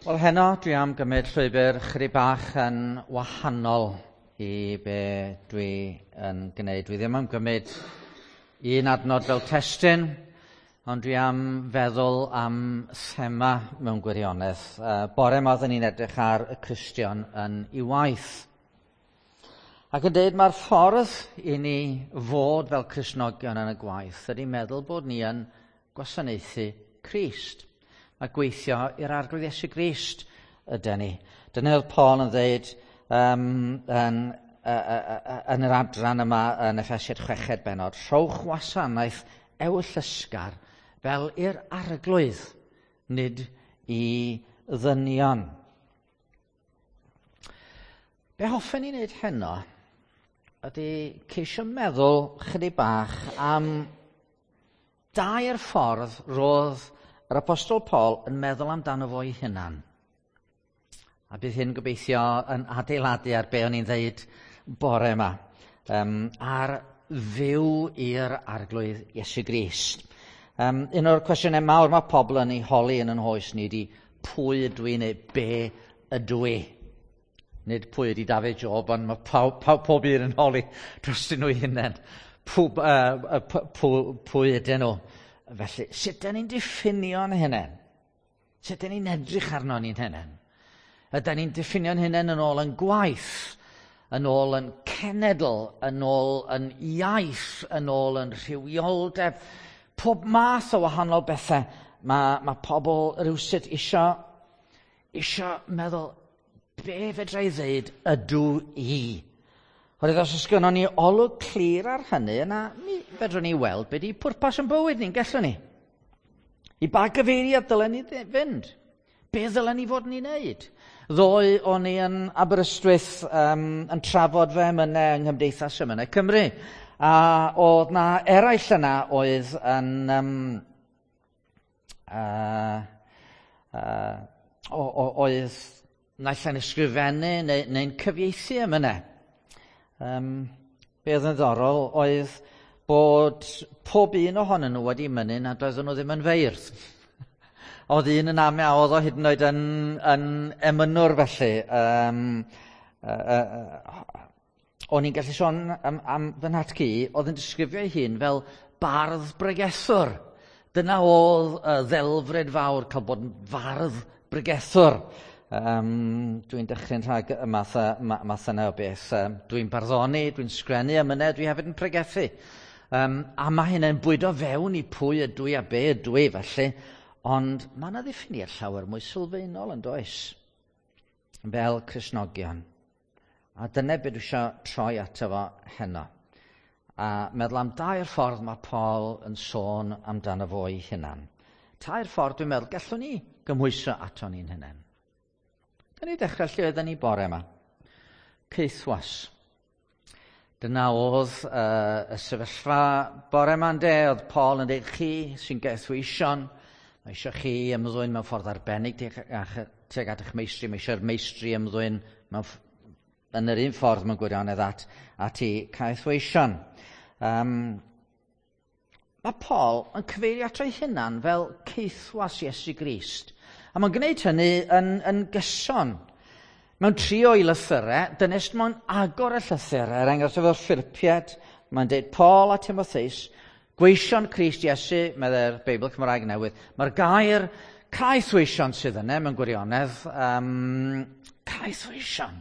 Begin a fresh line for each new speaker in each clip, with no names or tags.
Wel, heno dwi am gymryd llwybr chydig bach yn wahanol i be dwi yn gwneud. Dwi ddim am gymryd un adnod fel testun, ond dwi am feddwl am thema mewn gwirionedd. Bore yma oedden ni'n edrych ar y Cristion yn ei waith. Ac yn dweud mae'r ffordd i ni fod fel Cristnogion yn y gwaith ydy meddwl bod ni yn gwasanaethu Crist. A gweithio i'r Arglwydd Iesu Grist ydy ni. Dyna oedd Paul yn dweud yn yr adran yma yn Effesiad chweched benod. Rhowch wasanaeth ewyllysgar fel i'r Arglwydd, nid i ddynion. Be hoffen ni wneud heno ydy ceisio meddwl chydig bach am dair ffordd roedd yr Apostol Paul yn meddwl amdano fo'i hunan. A bydd hyn gobeithio yn adeiladu ar be o'n i'n dweud bore yma. Ar fyw i'r Arglwydd Iesu Grist. Un o'r cwestiynau mawr mae pobl yn ei holi yn yn hoes ni ydy pwy ydw i neu be ydw i. Nid pwy ydy Dafydd Job, ond mae pob un yn holi drostyn nhw eu hunain. Pwy ydyn nhw? Felly, sut dyn ni'n diffinio'n hunain? Sut dyn ni'n edrych arno ni'n hunain? Ydyn ni'n diffinio'n hunain yn ôl yn gwaith, yn ôl yn cenedl, yn ôl yn iaith, yn ôl yn rhywioldeb, pob math o wahanol bethau. Mae pobl rywsut isio meddwl, be fedra i ddeud ydw i? Oherwydd os oes gynnon ni olwg clir ar hynny, yna mi fedrwn ni weld be di pwrpas yn bywyd ni'n gallwn ni. I ba gyfeiriad dylen ni fynd? Be ddylen ni fod yn ei wneud? Ddoe o'n i yn Aberystwyth yn trafod fy emynau yng Nghymdeithas Emynau Cymru. A oedd na eraill yna oedd yn oedd naill ai'n ysgrifennu neu'n cyfieithu emynau. Be oedd yn ddiddorol oedd bod pob un ohonyn nhw wedi mynnu nad oedden nhw ddim yn feirdd. Oedd un yn ame a oedd o hyd yn oed yn emynwr felly. O'n i'n gallu sôn am fy nhad-cu, oedd yn disgrifio ei hun fel bardd bregethwr. Dyna oedd y ddelfryd fawr, cael bod yn fardd bregethwr. Dwi'n dechrau'n rhag y math yna o beth. Dwi'n barddoni, dwi'n sgrennu emynau, dwi hefyd yn pregethu. A mae hynny'n bwydo fewn i pwy ydw i a be ydw i felly. Ond mae yna ddiffiniad llawer mwy sylfaenol yn does, fel Cristnogion. A dyna beth dwi eisiau troi ato fo heno. A meddwl am dair ffordd mae Paul yn sôn amdano fo ei hunan. Tair ffordd dwi'n meddwl gallwn ni gymhwyso ato ni'n hunain. Gan ni ddechrau lle oedden ni bore yma. Caethwas. Dyna oedd y sefyllfa bore yma ynde, oedd Paul yn dweud chi sy'n gaethweision, mae eisiau chi ymddwyn mewn ffordd arbennig tuag at eich meistri, mae eisiau'r meistri ymddwyn mewn yn yr un ffordd mewn gwirionedd at i caethweision. Mae Paul yn cyfeirio ato ei hunan fel caethwas Iesu Grist. A mae'n gwneud hynny yn gyson. Mewn tri o'i lythyrau, dyna sut mae'n agor y llythyr, er enghraifft efo'r Philipiaid, mae'n dweud Paul a Timotheus, gweision Crist Iesu, meddai'r Beibl Cymraeg Newydd. Mae'r gair caethweision sydd yna mewn gwirionedd, caethweision.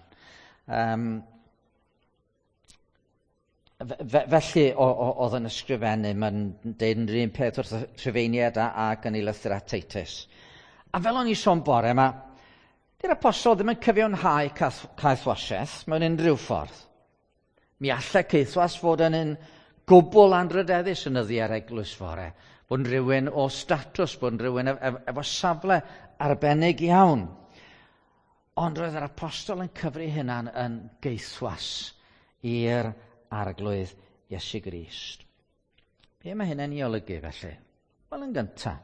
Felly oedd yn ysgrifennu, mae'n deud yn yr un peth wrth y Rhufeiniaid ac yn ei lythyr at Titus. A fel o'n i sôn bore yma, dy'r apostol ddim yn cyfiawnhau caethwasiaeth mewn unrhyw ffordd. Mi allai caethwas fod yn un gwbl anrhydeddus yn nyddiau'r eglwys fore, bod yn rhywun o statws, bod yn rhywun efo safle arbennig iawn. Ond roedd yr apostol yn cyfri hunan yn gaethwas i'r Arglwydd Iesu Grist. Be mae hynny'n ei olygu felly? Wel, yn gyntaf,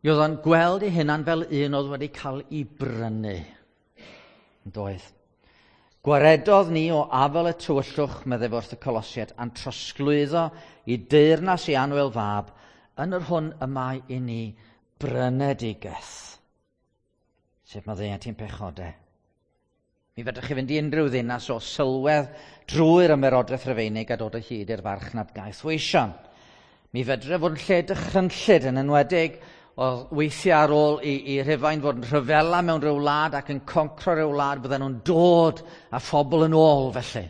mi oedd o'n gweld ei hunan fel un oedd wedi cael ei brynu. Yn doedd. Gwaredodd ni o afel y tywyllwch, meddai wrth y Colosiaid, a'n trosglwyddo i deyrnas i annwyl fab, yn yr hwn y mae i ni brynedigaeth. Sef maddeuant i'n pechodau. Mi fedrwch chi fynd i unrhyw ddinas o sylwedd drwy'r ymerodraeth Rufeinig a dod o hyd i'r farchnad gaethweision. Mi fedre fod yn lle dychrynllyd, yn enwedig oedd weithiau ar ôl i Rhufain fod yn rhyfela mewn rhyw wlad ac yn concro rhyw wlad, bydden nhw'n dod â phobl yn ôl felly.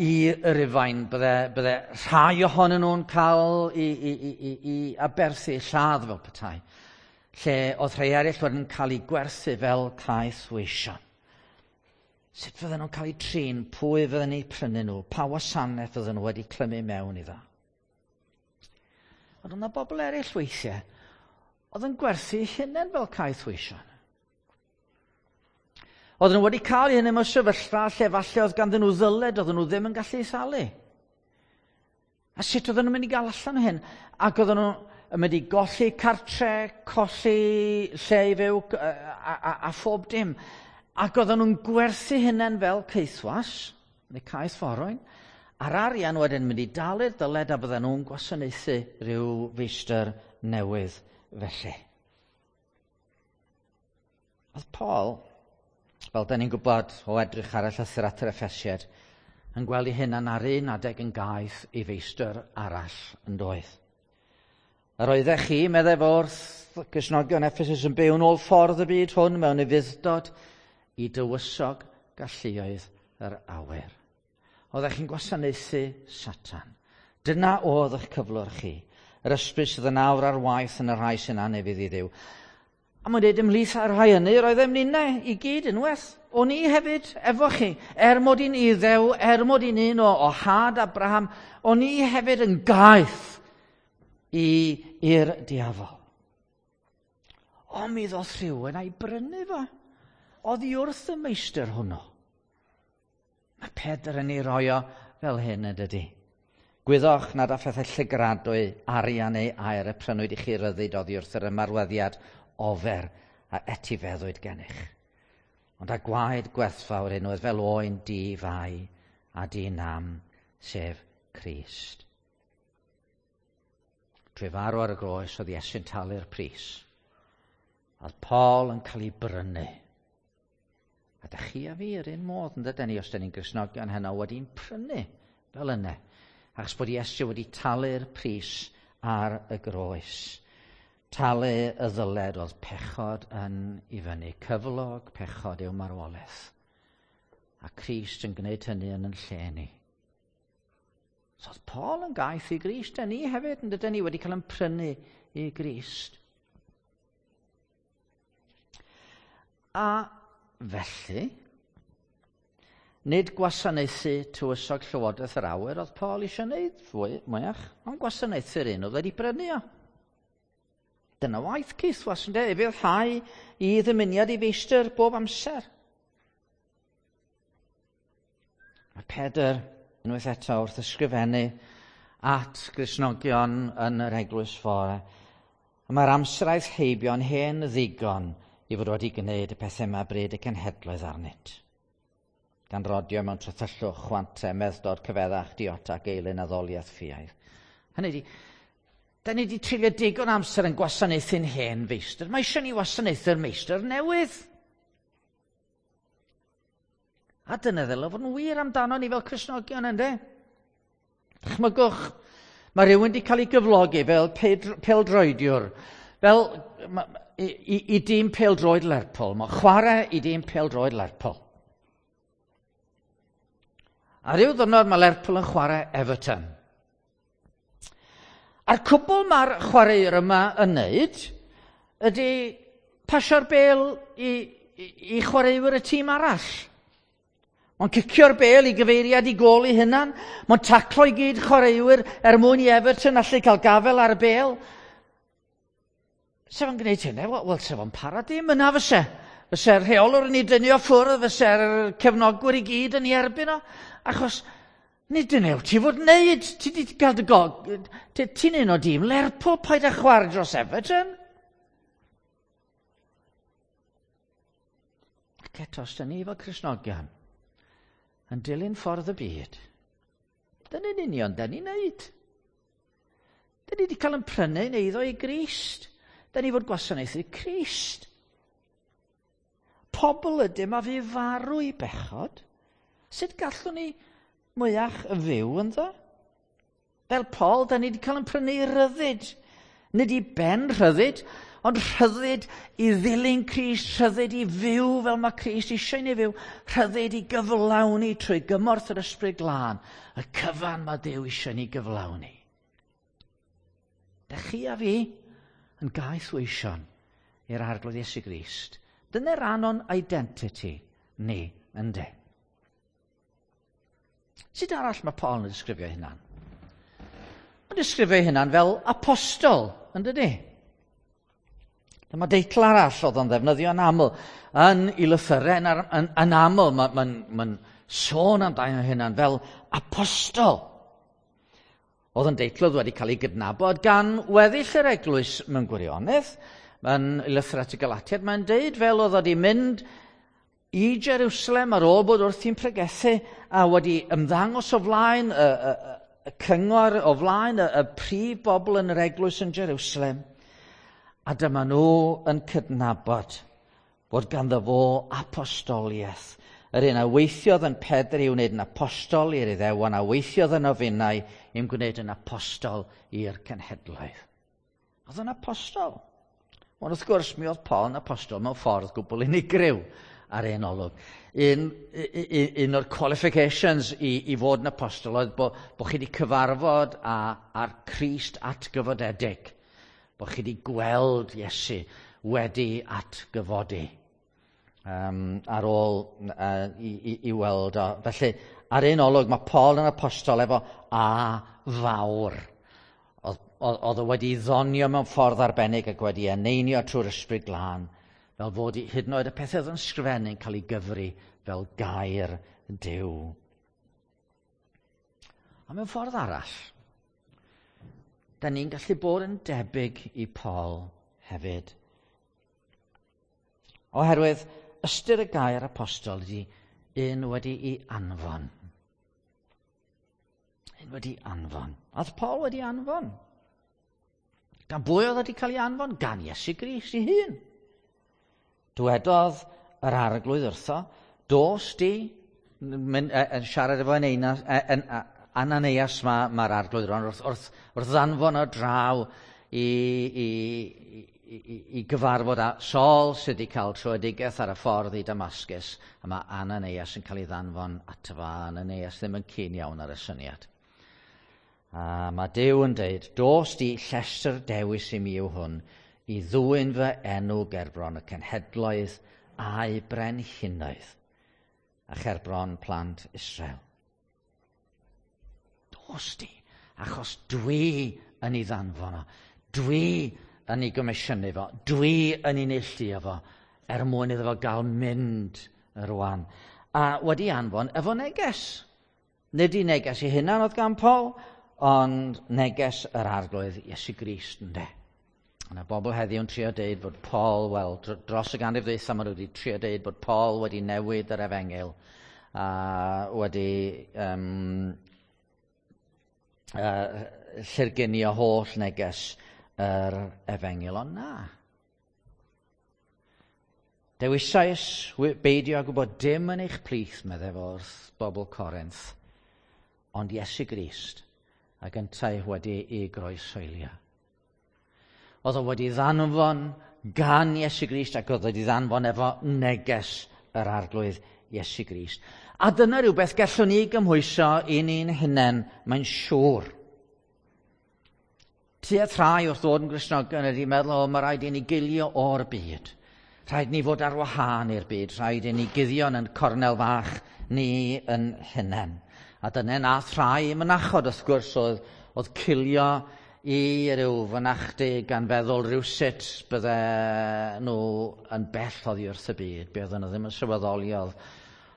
I Rufain, bydde rhai ohonyn nhw'n cael i aberthu, lladd fel petai, lle oedd rhai eraill wedyn yn cael eu gwerthu fel caethweision. Sut fydden nhw'n cael eu trin, pwy fydden nhw'n prynu nhw, pa wasanaeth fydden nhw wedi clymu mewn iddo. Ond oedd yna bobl eraill weithiau oedd yn gwerthu hunain fel caethweision. Oedden nhw wedi cael eu hunain mewn sefyllfa lle falle oedd ganddyn nhw ddyled, oedden nhw ddim yn gallu ei thalu. A sut oedden nhw'n mynd i gael allan o hyn? Ac oedden nhw yn mynd i golli cartre, colli lle i fyw a phob dim. Ac oedden nhw'n gwerthu hunain fel caethwas, neu caethforwyn, a'r arian wedyn mynd i dalu'r dyled a bydden nhw'n gwasanaethu rhyw feistr newydd felly. Oedd Paul, fel da ni'n gwybod o edrych ar y llythyr at yr Effesiaid, yn gweld ei hunan ar un adeg yn gaeth i feistr arall yn doedd. Yr oeddech chi, meddai fo wrth Gristnogion Ephesus, yn byw yn ôl ffordd y byd hwn mewn ufudd-dod i dywysog galluoedd yr awyr. Oeddech chi'n gwasanaethu Satan. Dyna oedd eich cyflwr chi. Yr ysbryd sydd yn awr ar waith yn y rhai sy'n anufudd i Dduw. A mae'n dweud ymhlith ar rhai hynny, roeddem ninnau i gyd unwaith. O'n i hefyd efo chi, er mod i'n Iddew, er mod i'n un o had Abraham, o'n i hefyd yn gaeth i'r diafol. Ond mi ddoth rhywun a'i brynu fo. Oddi wrth y meistr hwnnw. Mae Pedr yn ei roi o fel hyn yn dydy. Gwyddoch nad â phethau llygradwy, arian neu aur y prynwyd i chi ryddid oddi wrth yr ymarweddiad ofer a etifeddwyd gennych. Ond â gwaed gwerthfawr unwaith fel oen di-fai a di-nam, sef Crist. Trwy farw ar y groes oedd Iesu'n talu'r pris. Oedd Paul yn cael ei brynu. A da chi a fi yr un modd, yn dydyn ni, os da ni'n Gristnogion heno, wedi'n prynu fel yna. Achos bod Iesu wedi talu'r pris ar y groes. Talu y ddyled oedd pechod yn i fyny. Cyflog pechod yw marwolaeth. A Crist yn gwneud hynny yn yn lle ni. So oedd Paul yn gaeth i Grist, a ni hefyd, yn dydyn ni, wedi cael yn prynu i Grist. A felly, nid gwasanaethu tywysog Llywodraeth yr Awyr oedd Paul eisiau gwneud fwy, mwyach, ond gwasanaethu'r un oedd wedi brynu o. Dyna waith caethwas, ynde, ufuddhau i ddymuniad i feistr bob amser. Mae Pedr, unwaith eto, wrth ysgrifennu at Gristnogion yn yr eglwys fore, a mae'r amser aeth heibio'n hen ddigon i fod wedi gwneud y pethau yma bryd y cenhedloedd arnynt. Gan rodio mewn trythyllwch, chwante, medddod, cyfeddach, diota, geilyn, addoliaeth, ffiaidd. Hynny ydi, da ni wedi treulio digon amser yn gwasanaethu'n hen feistr. Mae eisiau ni wasanaethu'r meistr newydd. A dyna ddylai fod yn wir amdano ni fel Cristnogion, yndê? Dychmygwch, mae rhywun wedi cael ei gyflogi fel pêl-droediwr, fel i dîm pêl-droed Lerpwl. Mae'n chwarae i dîm pêl-droed Lerpwl. A ryw ddwrnod mae Lerpwl yn chwarae Everton. A'r cwbl mae'r chwaraewr yma yn wneud ydy pasio'r bêl i chwaraewyr y tîm arall. Mae'n cicio'r bêl i gyfeiriad i gôl ei hunan. Mae'n taclo i gyd chwaraewyr er mwyn i Everton allu cael gafel ar y bêl. Sef o'n gwneud hynny? Wel, sef o'n para dim yna fyse. Fyse'r rheolwr yn ei dynnu o ffwrdd, fyse'r cefnogwyr i gyd yn ei erbyn o. Achos nid dyna wyt ti fod wneud. Ti di gael dy gog... Ti'n un o dîm Lerpwl, paid â chwarae dros Everton. Ac eto, os da ni fel Cristnogion yn dilyn ffordd y byd, dyna'n union da ni'n neud. Da ni wedi cael yn prynu yn eiddo i Grist. Da ni fod gwasanaethu Crist. Pobl ydym a fu farw i bechod. Sut gallwn ni mwyach fyw ynddo? Fel Paul, da ni wedi cael yn prynu rhyddid. Nid i ben rhyddid, ond rhyddid i ddilyn Crist, rhyddid i fyw fel mae Crist eisiau ni fyw, rhyddid i gyflawni trwy gymorth yr Ysbryd Glân, y cyfan mae Duw eisiau ni gyflawni. Da chi a fi yn gaeth weision i'r Arglwydd Iesu Grist. Dyna ran o'n identity ni, ynde? Sut arall mae Paul yn disgrifio hynna'n? Mae'n disgrifio hynna'n fel apostol, yn dydy? Dyma deitl arall oedd o'n ddefnyddio yn aml. Yn ei lythyrau yn, yn, yn aml, mae'n ma, ma, sôn amdano hynna'n fel apostol. Oedd yn deitl oedd wedi cael ei gydnabod gan weddill yr eglwys mewn gwirionedd. Yn lythyr at y Galatiad, mae'n deud fel oedd wedi mynd i Jerusalem ar ôl bod wrthi'n pregethu a wedi ymddangos o flaen y, y, y cyngor, o flaen y, y prif bobl yn yr eglwys yn Jerusalem. A dyma nhw yn cydnabod bod ganddo fo apostoliaeth. Yr un a weithiodd yn Pedr i wneud yn apostol i'r Iddewon, a weithiodd yn ofinnau i'm gwneud yn apostol i'r cenhedloedd. Oedd yn apostol. Ond wrth gwrs, mi oedd Paul yn apostol mewn ffordd gwbl unigryw ar ein olwg. Un, un, un o'r qualifications i, i fod yn apostol oedd bod, bo chi wedi cyfarfod â, â'r Crist atgyfodedig. Bod chi wedi gweld Iesu wedi atgyfodi um, ar ôl uh, i, i, i weld o. Felly, ar un olwg, mae Paul yn apostol efo A fawr. Oedd o wedi ddonio mewn ffordd arbennig ac wedi eneinio trwy'r ysbryd glân, fel fod hyd yn oed y pethau oedd yn sgrifennu'n cael ei gyfri fel gair Duw. A mewn ffordd arall, da ni'n gallu bod yn debyg i Paul hefyd. Oherwydd ystyr y gair apostol ydy un wedi'i anfon. Un wedi anfon. A oedd Paul wedi anfon. Gan bwy oedd wedi cael ei anfon? Gan Iesu Grist ei hun. Dwedodd yr arglwydd wrtho, dos di, yn, yn siarad efo Ananias mae'r ma arglwydd rwan, wrth, wrth, wrth ddanfon o draw i, i, i, i gyfarfod â Saul sydd wedi cael troedigaeth ar y ffordd i Damascus, a mae Ananias yn cael ei ddanfon ato fo, Ananias ddim yn cyn iawn ar y syniad. A mae Duw yn deud, dos di llestr dewis i mi yw hwn, i ddwyn fy enw gerbron y cenhedloedd a'i brenhinoedd, a cherbron plant Israel. Dos di, achos dwi yn ei ddanfon o. Dwi yn ei gomisiynu fo. Dwi yn ei neilltuo fo er mwyn iddo fo gael mynd rwan. A wedi anfon efo neges. Nid i neges ei hunan oedd gan Paul, ond neges yr arglwydd Iesu Grist ynde. Yna bobl heddiw yn trio deud bod Paul, wel, dros y ganrif ddwytha maen nhw wedi trio deud bod Paul wedi newid yr efengyl a wedi um, llurgunio holl neges yr efengyl, ond na. Dewisais beidio â gwybod dim yn eich plith, meddai fo wrth bobl Corinth, ond Iesu Grist, ac yntau wedi ei groeshoelio. Oedd o wedi ddanfon gan Iesu Grist ac oedd wedi ddanfon efo neges yr arglwydd Iesu Grist. A dyna rhywbeth gallwn ni gymhwyso i ni'n hunain, mae'n siŵr. Tua thrai wrth ddod yn Gristnogion ydy meddwl, o, mae rhaid i ni gilio o'r byd. Rhaid ni fod ar wahân i'r byd, rhaid i ni guddio yn cornel fach ni yn hunain. A dyna nath rhai mynachod, wrth gwrs, oedd, oedd cilio i ryw fynachdy gan feddwl rhywsut bydde nhw yn bell oddi wrth y byd. Be oedden nhw ddim yn sylweddoli oedd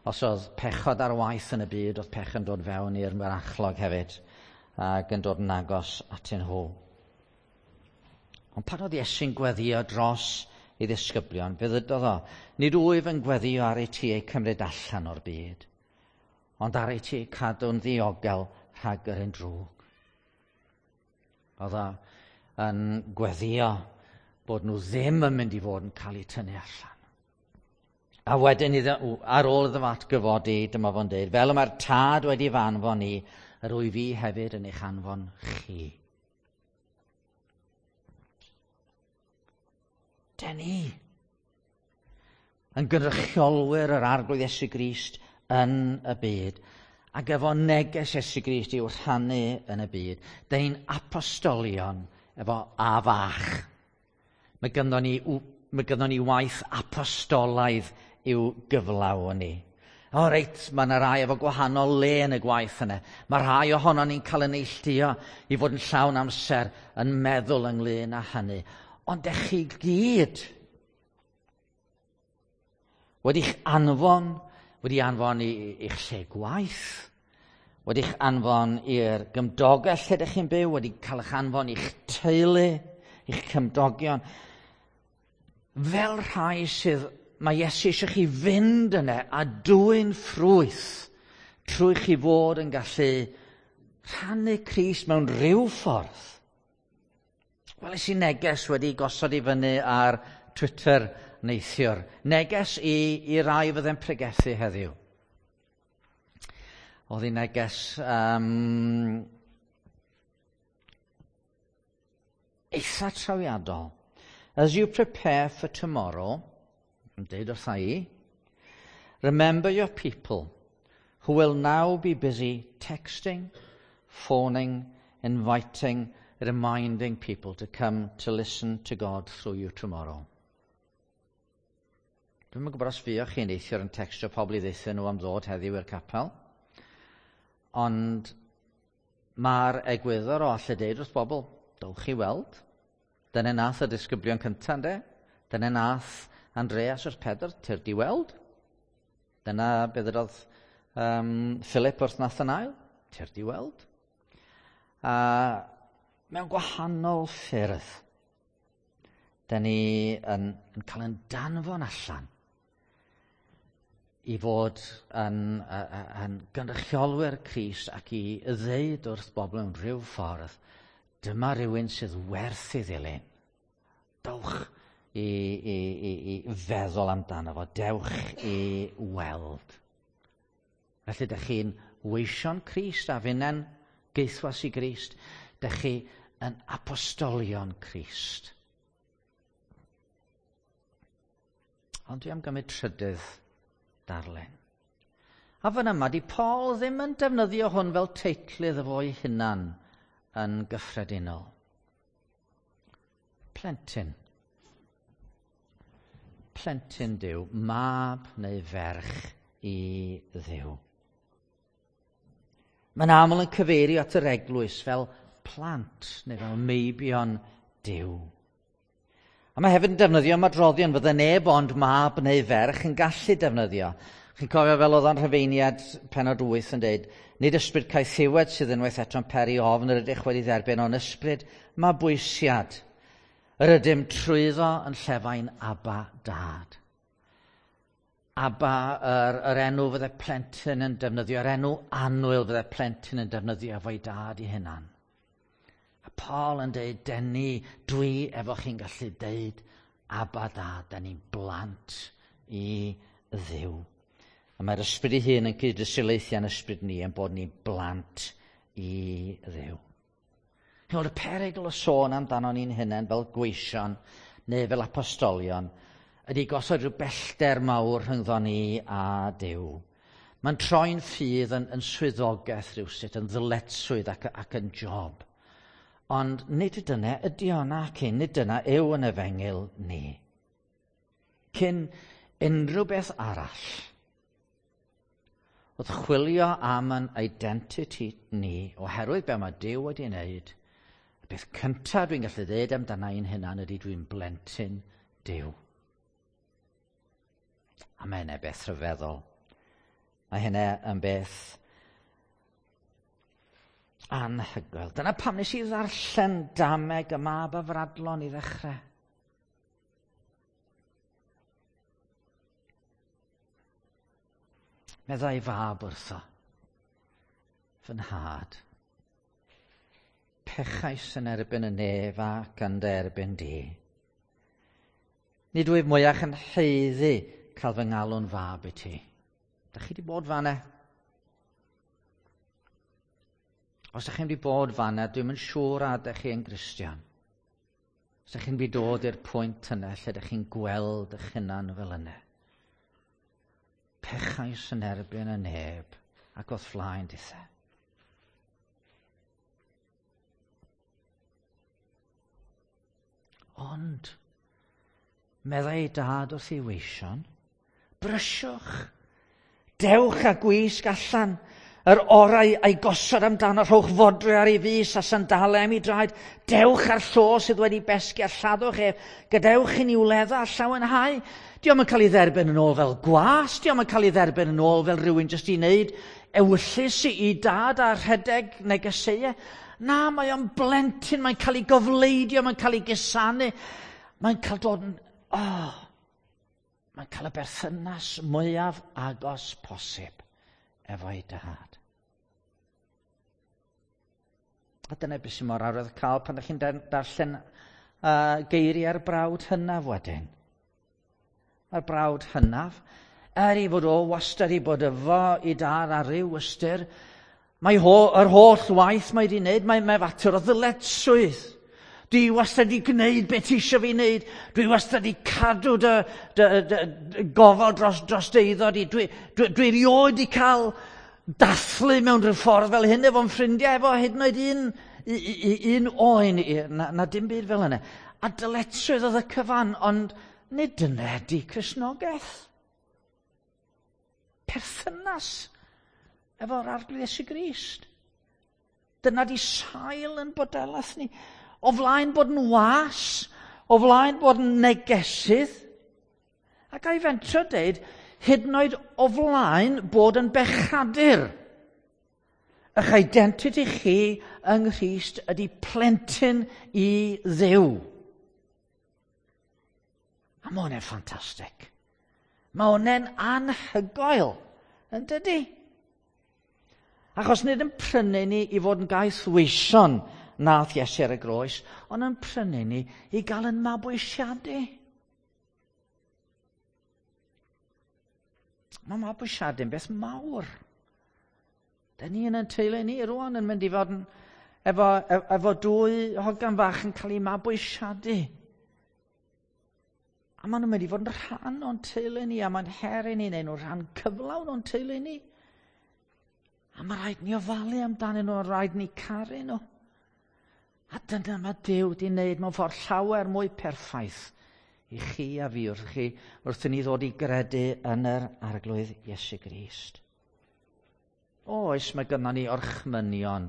os oedd pechod ar waith yn y byd, oedd pech yn dod fewn i'r mynachlog hefyd ac yn dod yn agos atyn nhw. Ond pan oedd Iesu'n gweddio dros ei ddisgyblion, fe ddydodd o, nid wyf yn gweddio ar ei ti eu cymryd allan o'r byd, ond ar ei ti cadw'n ddiogel rhag yr un drwg. Oedd o yn gweddio bod nhw ddim yn mynd i fod yn cael eu tynnu allan. A wedyn iddo, ar ôl iddo fo atgyfodi, dyma fo'n dweud, fel y mae'r Tad wedi fy anfon i, yr wyf fi hefyd yn eich anfon chi. Den ni yn gynrychiolwyr yr Arglwydd Iesu Grist yn y byd, ac efo neges Iesu Grist i'w rhannu yn y byd. Den ni'n apostolion efo A fach. Mae gynnon ni waith apostolaidd i'w gyflawni. O reit, mae yna rai efo gwahanol le yn y gwaith yna. Mae rhai ohono ni'n cael yn neilltuo i fod yn llawn amser yn meddwl ynglyn â hynny. Ond ech chi gyd wedi'ch anfon, wedi anfon i'ch lle gwaith, wedi'ch anfon i'r gymdogaeth lle ydych chi'n byw, wedi cael eich anfon i'ch teulu, i'ch cymdogion. Fel rhai sydd, mae Iesu eisiau chi fynd yna a dwyn ffrwyth trwy chi fod yn gallu rhannu Crist mewn rhyw ffordd. Weles i neges wedi gosod i fyny ar Twitter neithiwr. Neges i rai fydde'n pregethu heddiw. Oedd hi neges eitha trawiadol. "As you prepare for tomorrow," yn deud wrtha i, "remember your people who will now be busy texting, phoning, inviting, reminding people to come to listen to God through you tomorrow." Dwi'm yn gwybod os fuoch chi'n neithiwr yn textio pobl i ddeutha nhw am ddod heddiw i'r capel. Ond mae'r egwyddor o allu deud wrth bobl, "Dowch chi weld." Dyna nath y disgyblion cyntaf, yndê? Dyna nath Andreas wrth Pedr, "Tyrd i weld." Dyna beth ydodd Philip wrth Nathanael, "Tyrd i weld." A mewn gwahanol ffyrdd, da ni yn cael yn danfon allan i fod yn gynrychiolwyr Crist ac i ddeud wrth bobl mewn rhyw ffordd, "Dyma rhywun sydd werth i ddilyn. Dewch i feddwl amdano fo, dewch i weld." Felly, ydych chi'n weision Crist a finnau'n gaethwas i Grist. Dych chi yn apostolion Crist. Ond dwi am gymryd trydydd darlun. A fan yma, di Paul ddim yn defnyddio hwn fel teitl iddo fo'i hunan yn gyffredinol. Plentyn. Plentyn Duw, mab neu ferch i Dduw. Mae'n aml yn cyfeirio at yr eglwys fel plant neu fel meibion Duw. A mae hefyd yn defnyddio ymadroddion fydde neb ond mab neu ferch yn gallu defnyddio. Chi'n cofio fel oedd o'n Rhufeiniaid penod 8 yn dweud, "Nid ysbryd caethiwed sydd unwaith eto'n peri ofn yr ydych wedi dderbyn, ond ysbryd mabwysiad. Yr ydym trwyddo yn llefain 'Abba, Dad.'" Abba, yr enw fydde plentyn yn defnyddio, yr enw annwyl fydde plentyn yn defnyddio efo'i dad i hunan. A Paul yn dweud, den ni, dwi efo chi'n gallu deud, "Abba, Dad," den ni'n blant i Dduw. A mae'r ysbryd ei hun yn cyd-dystiolaethu â'n ysbryd ni yn bod ni'n blant i Dduw. Chi'n y perygl o sôn amdano ni'n hunain fel gweision neu fel apostolion ydy gosod rhyw bellter mawr rhyngddo ni a Duw. Mae'n troi'n ffydd yn swyddogaeth rhywsut, yn ddyletswydd ac yn job. Ond nid dyna ydy o nac un, nid dyna yw yn efengyl ni. Cyn unrhyw beth arall, wrth chwilio am yn identity ni, oherwydd be mae Duw wedi wneud, y beth cyntaf dwi'n gallu dweud amdana i'n hunan ydy dwi'n blentyn Duw. A mae hynny beth rhyfeddol. Mae hynny yn beth anhygoel. Dyna pam nes i ddarllen dameg y mab afradlon i ddechrau. Meddai fab wrtho, "Fy nhad, pechais yn erbyn y nef ac yn dy erbyn di. Nid wyf mwyach yn haeddu cael fy ngalw'n fab i ti. Dach chi wedi bod fanna? Os ydych chi wedi bod fanna, dwi'm yn siŵr a ydych chi yn Gristion. Os ydych chi'n wedi dod i'r pwynt yna lle ydych chi'n gweld eich hunan fel yna. Pechais yn erbyn y neb ac o'th flaen dithe. Ond, meddai ei dad wrth ei weision, brysiwch, dewch a gwisg allan, yr orau a'i gosod amdano, rhowch fodrwy ar ei fys a sandalau am ei draed, dewch â'r llo sydd wedi besgi a lladdwch ef, gadewch i ni wledda a llawenhau. Dio'm yn cael ei dderbyn yn ôl fel gwas, dio'm yn cael ei dderbyn yn ôl fel rhywun jyst i wneud ewyllys i dad a rhedeg negeseuau. Na, mae o'n blentyn, mae'n cael ei gofleidio, mae'n cael ei gusanu, mae'n cael dod yn... Oh, mae'n cael y berthynas mwyaf agos posib efo'i dad. A dyna beth sy'n mor arwydd cael pan ydych chi'n darllen geiriau'r brawd hynaf wedyn. Mae'r brawd hynaf, er ei fod o wastad i bod efo i dad ar ryw ystyr, mae yr holl waith mae wedi wneud, mae fater o ddyletswydd. Dwi wastad wedi gwneud beth ti eisiau fi wneud. Dwi wastad wedi cadw dy gofal dros dy eiddo di. Dwi erioed wedi cael dathlu mewn rhyw ffordd fel hyn efo'n ffrindiau, efo hyd yn oed un oen, na dim byd fel yna. A dyletswydd oedd y cyfan, ond nid dyna ydi Cristnogaeth. Perthynas efo'r Arglwydd Iesu Grist. Dyna di sail yn bodolaeth ni. O flaen bod yn was, o flaen bod yn negesydd, ac a'i fentro deud, hyd yn oed o flaen bod yn bechadur. Eich identity chi yng Nghrist ydy plentyn i Dduw. A mae hwnna'n ffantastig. Mae hwnna'n anhygoel, yn dydy? Achos nid yn prynu ni i fod yn gaethweision nath Iesu ar y groes, ond yn prynu ni i gael yn mabwysiadu. Mae mabwysiadu'n beth mawr. Da ni yn ein teulu ni rwan yn mynd i fod yn, efo dwy hogan fach yn cael eu mabwysiadu. A maen nhw'n mynd i fod yn rhan o'n teulu ni, a mae'n her i ni, neu nhw'n rhan cyflawn o'n teulu ni. A mae rhaid ni ofalu amdanyn nhw, a rhaid ni caru nhw. A dyna mae Duw wedi wneud mewn ffordd llawer mwy perffaith i chi a fi wrth i ni ddod i gredu yn yr Arglwydd Iesu Grist. Oes, mae gynnon ni orchmynion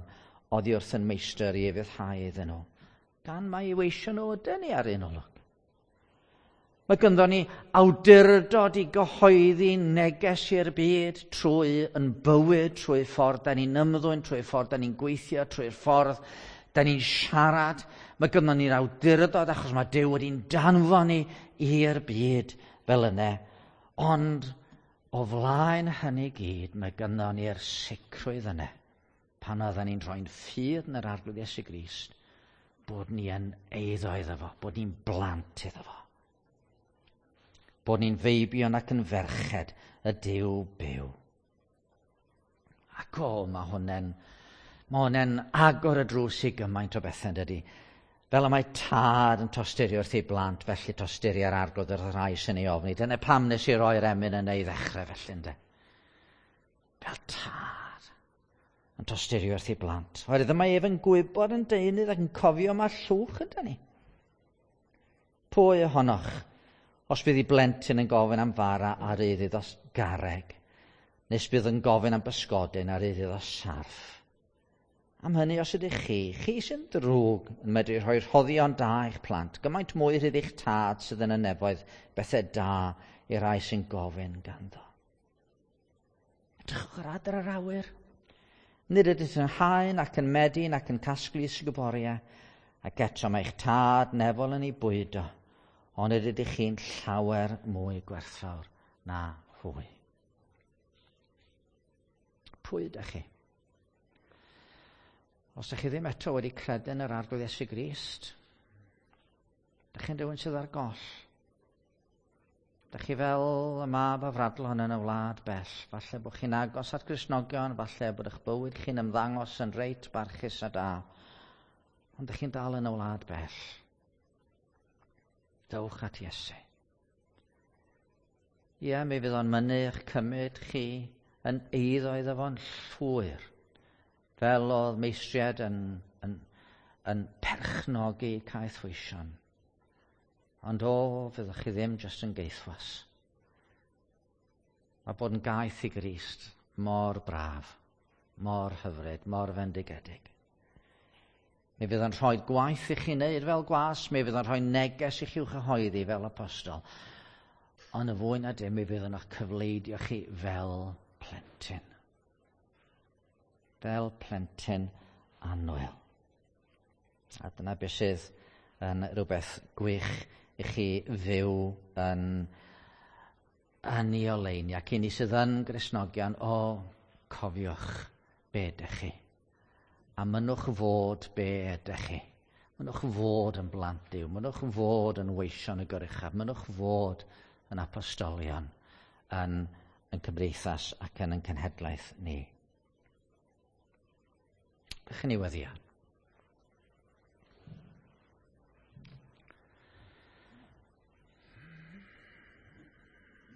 oddi wrth yn meistr i ufuddhau iddyn nhw, gan mai i weisio nhw ydyn ni ar un olwg. Mae gynddon ni awdurdod i gyhoeddi neges i'r byd trwy yn bywyd, trwy ffordd da ni'n ymddwyn, trwy ffordd da ni'n gweithio, trwy'r ffordd da ni'n siarad. Mae gynddon ni'r awdurdod achos mae Duw wedi'n danfon ni i'r byd fel yna. Ond o flaen hynny gyd, mae gynddon ni'r sicrwydd yna. Pan oedden ni'n rhoi'n ffydd yn yr Arglwydd Iesu Grist, bod ni yn eiddo iddo fo, bod ni'n blant iddo fo. Bod ni'n feibion ac yn ferched y Duw byw. Ac o, mae hwnna'n agor y drws i gymaint o bethau, dydy. Fel y mae tad yn tosturio wrth ei blant, felly tosturio ar Arglwydd wrth y rhai sy'n ei ofni. Dyna pam nes i roi'r emyn yn ei ddechrau felly, ynde. Fel tad yn tosturio wrth ei blant. Oherwydd mae ef yn gwybod yn deunydd ac yn cofio mae llwch yda ni. Pwy ohonoch, os bydd ei blentyn yn gofyn am fara ar iddo iddo garreg, nes bydd yn gofyn am bysgodyn ar iddo iddo sarff. Am hynny, os ydych chi sy'n drwg yn medru rhoi rhoddion da i'ch plant, gymaint mwy rhydd eich tad sydd yn y nefoedd, bethau da i'r rhai sy'n gofyn ganddo. Edrychwch ar adar yr awyr. Nid ydych yn haen ac yn medi ac yn casglu sguboriau, ac eto mae eich tad nefol yn ei bwydo, ond ydych chi'n llawer mwy gwerthfawr na hwy. Pwy ydych chi? Os ydych chi ddim eto wedi credu yn yr Arglwydd Iesu Grist, ydych chi'n rhywun sydd ar goll. Dych chi fel y mab afradlon yn y wlad bell. Falle bod chi'n agos at Gristnogion, falle bod eich bywyd chi'n ymddangos yn reit barchus a da. Ond dych chi'n dal yn y wlad bell. Dewch at Iesu. Ie, mi fydd o'n mynnu eich cymryd chi yn eiddo iddo fo'n llwyr. Fel oedd meistriad yn perchnogi caethweision. Ond o, fyddwch chi ddim jyst yn gaethwas. Mae bod yn gaeth i Grist mor braf, mor hyfryd, mor fendigedig. Mi fydd o'n rhoi gwaith i chi wneud fel gwas, mi fydd o'n rhoi neges i chi i'w chyhoeddi fel apostol. Ond y fwy na dim, mi fydd o'n eich cyfleidio chi fel plentyn. Fel plentyn annwyl. A dyna beth sydd yn rhywbeth gwych i chi fyw yn ei oleuni. Ac i ni sydd yn Gristnogion, o, cofiwch be ydych chi. A mynnwch fod be ydych chi. Mynnwch fod yn blant Duw. Mynnwch fod yn weision y Goruchaf. Mynnwch fod yn apostolion yn cymdeithas ac yn ein cenhedlaeth ni. Dych ni weddio.